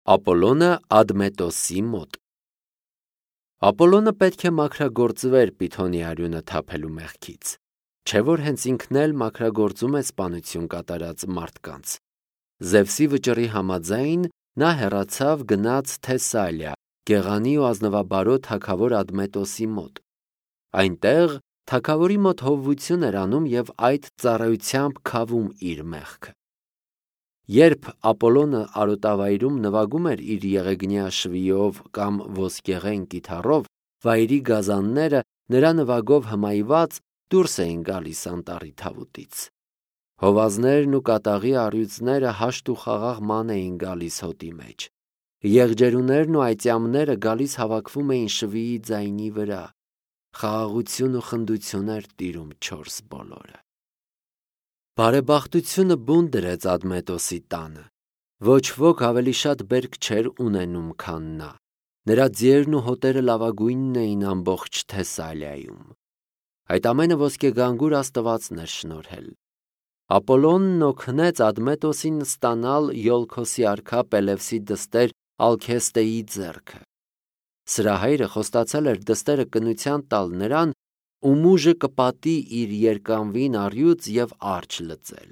Ապոլոնը Ադմետոսի մոտ։ Ապոլոնը պետք է մաքրագործվեր Պիթոնի արյունը թափելու մեղքից, չէ որ հենց ինքն էլ մաքրագործում է սպանություն կատարած մարդկանց։ Զևսի վճռի համաձայն նա հեռացավ գնաց Թեսալիա, գեղանի ու ազնվաբարոյ թագավոր Ադմետոսի մոտ։ Այնտեղ թագավորի մոտ հովվություն էր անում և այդ ծառայությամբ քավում իր մեղքը։ Երբ Ապոլոնը արոտավայրում նվագում էր իր եղեգնյա շվիով կամ ոսկեղեն կիթառով, վայրի գազանները նրա նվագով հմայված դուրս էին գալիս անտառի թավուտից։ Հովազներն ու կատաղի առյուծները հաշտ ու խաղաղ ման էին գալիս հոտի մեջ։ Եղջերուներն ու այծյամները գալիս հավաքվում էին շվիի ձայնի վրա։ Խաղաղություն ու խնդություն էր տիրում չորս բոլորը։ Բարեբախտությունը բուն դրեց Ադմետոսի տանը։ Ոչ ոք ավելի շատ բերք չէր ունենում, քան նա։ Նրա ձիերն ու հոտերը լավագույնն էին ամբողջ Թեսալիայում։ Այդ ամենը ոսկեգանգուր Աստվածն էր շնորհել։ Ապոլոնն օգնեց Ադմետոսին ստանալ Յոլքոսի արքա Պելևսի դստեր Ալքեստեի ձեռքը։ Սրահայրը խոստացել էր դստերը կնության տալ նրան, ում ուժը կպատի իր երկանվին առյուծ և արջ լծել։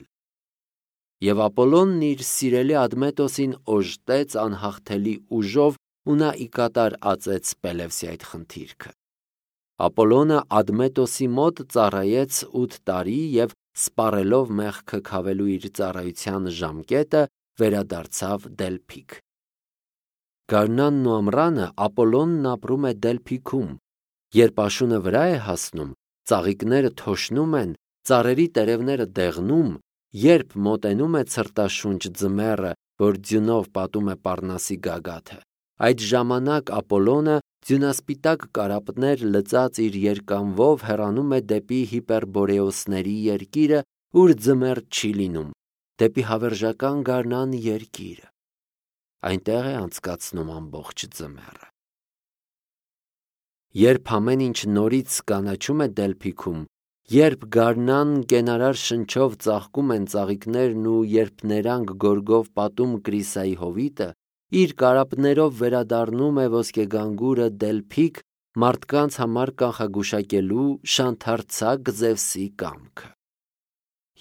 Եվ Ապոլոնն իր սիրելի Ադմետոսին օժտեց անհաղթելի ուժով ու նա ի կատար ածեց Պելևսի այդ խնդիրքը։ Ապոլոնը Ադմետոսի մոտ ծառայեց 8 տարի և սպառելով մեղքը քավելու իր ծառայության ժամկետը վերադարձավ Դելփիք։ Գարնանն ու ամռանը Ապոլոնն ապրում է Դելփիքում։ Երբ աշունը վրա է հասնում, ծաղիկները թոշնում են, ծառերի տերևները դեղնում, երբ մոտենում է ցրտաշունչ ձմեռը, որ ձյունով պատում է Պառնասի գագաթը, այդ ժամանակ Ապոլոնը ձյունասպիտակ կարապներ լծած իր երկանվով հեռանում է դեպի Հիպերբորեոսների երկիրը, ուր ձմեռ չի լինում, դեպի հավերժական գարնան երկիրը։ Այնտեղ է անցկացնում ամբողջ ձմեռը։ Երբ ամեն ինչ նորից կանաչում է Դելփիքում, երբ գարնան կենարար շնչով ծաղկում են ծաղիկներն ու երբ ներանք գորգով պատում Կրիսայի հովիտը, իր կարապներով վերադառնում է ոսկեգանգուրը Դելփիք մարդկանց համար կանխագուշակելու շանթարցակ Զևսի կամքը։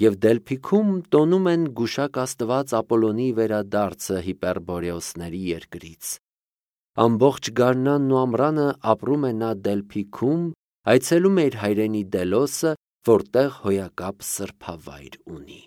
Եվ Դելփիքում տոնում են գուշակ Աստված Ապոլոնի վերադարձը Հիպերբորեոսների երկրից։ Ամբողջ գարնանն ու ամռանը ապրում է նա Դելփիքում, այցելում է իր հայրենի Դելոսը, որտեղ հոյակապ սրբավայր ունի։